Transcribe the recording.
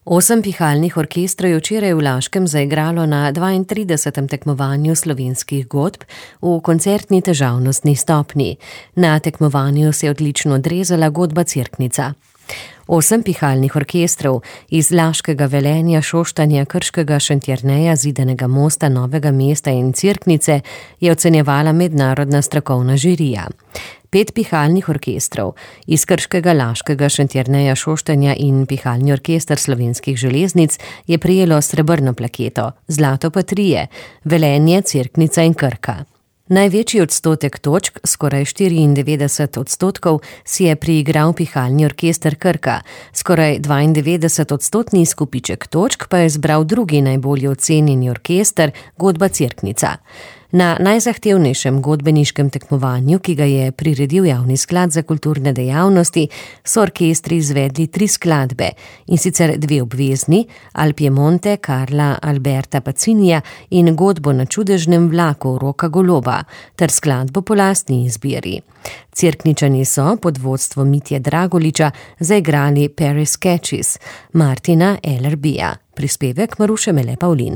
8 pihalnih orkestrov je včeraj v Laškem zaigralo na 32. tekmovanju slovenskih godb v koncertni težavnostni stopnji. Na tekmovanju se je odlično odrezala godba Cerknica. 8 pihalnih orkestrov iz Laškega, Velenja, Šoštanja, Krškega, Šentjerneja, Zidanega Mosta, Novega mesta in Cerknice je ocenjevala mednarodna strokovna žirija. 5 pihalnih orkestrov iz Krškega, Laškega, Šentjerneja, Šoštanja in pihalni orkester Slovenskih železnic je prejelo srebrno plaketo, zlato pa 3, Velenje, Cerknica in Krka. Največji odstotek točk, skoraj 94%, si je priigral pihalni orkester Krka, skoraj 92% izkupiček točk pa je zbral drugi najbolje ocenjeni orkester, godba Cerknica. Na najzahtevnejšem godbeniškem tekmovanju, ki ga je priredil Javni sklad za kulturne dejavnosti, so orkestri izvedli 3 skladbe, in sicer 2 obvezni, Al Piemonte Carla Alberta Paccinija in godbo Na čudežnem vlaku Roka Goloba, ter skladbo po lastni izbiri. Cerkničani so pod vodstvom Mitje Dragoliča zaigrali Paris Catches Martina LRB-ja. Prispevek Maruše Mele Pavlin.